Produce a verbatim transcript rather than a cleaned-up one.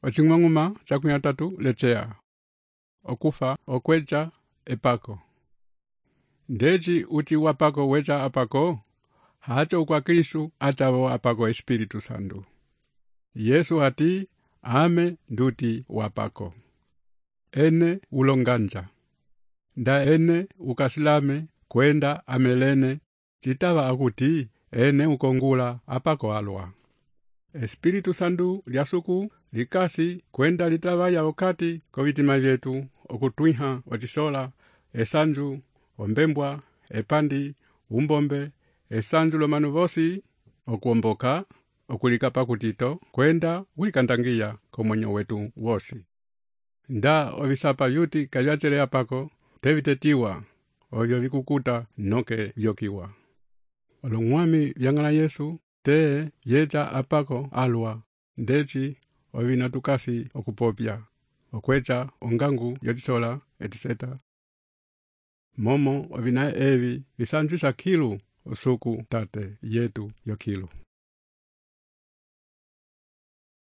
Ocing'ong'uma cakunyatatu lechea. Okufa okwecha epako. Ndeci uti wapako wecha apako, hacho kwa Kristu atavo apako Espiritu Santo. Yesu hati ame nduti wapako. Ene ulonganja. Nda ene ukasilame kwenda amelene chitava akuti ene ukongula apako alwa. Espiritu Santo liasuku likasi kwenda litavaya wakati kovitima vyetu okutwiha wachisola esanju ombembwa epandi umbombe esanju lomanu vosi okuomboka okulikapa kutito kwenda ulikandangia komonyo wetu wosi. Nda ovisapa yuti kavyachere apako tevitetiwa ovyo vikukuta noke vyokiwa. Olong'wami vyang'ala Yesu te yecha apako alwa ndeci ovina tukasi okupopya okwecha ongangu yochisola etiseta momo ovina evi visanjisa kilu usuku tate yetu yokilu.